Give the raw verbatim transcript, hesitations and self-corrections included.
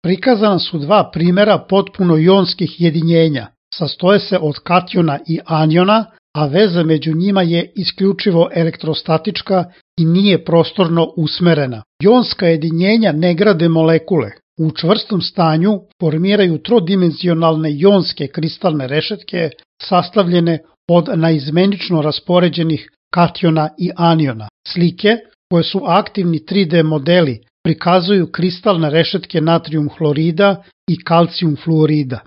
Prikazana su dva primjera potpuno jonskih jedinjenja. Sastoje se od kationa i aniona, a veza među njima je isključivo elektrostatička i nije prostorno usmerena. Jonska jedinjenja ne grade molekule. U čvrstom stanju formiraju trodimenzionalne jonske kristalne rešetke sastavljene od naizmenično raspoređenih kationa i aniona. Slike, koje su aktivni tri D modeli, prikazuju kristalne rešetke natrijum hlorida i kalcijum fluorida.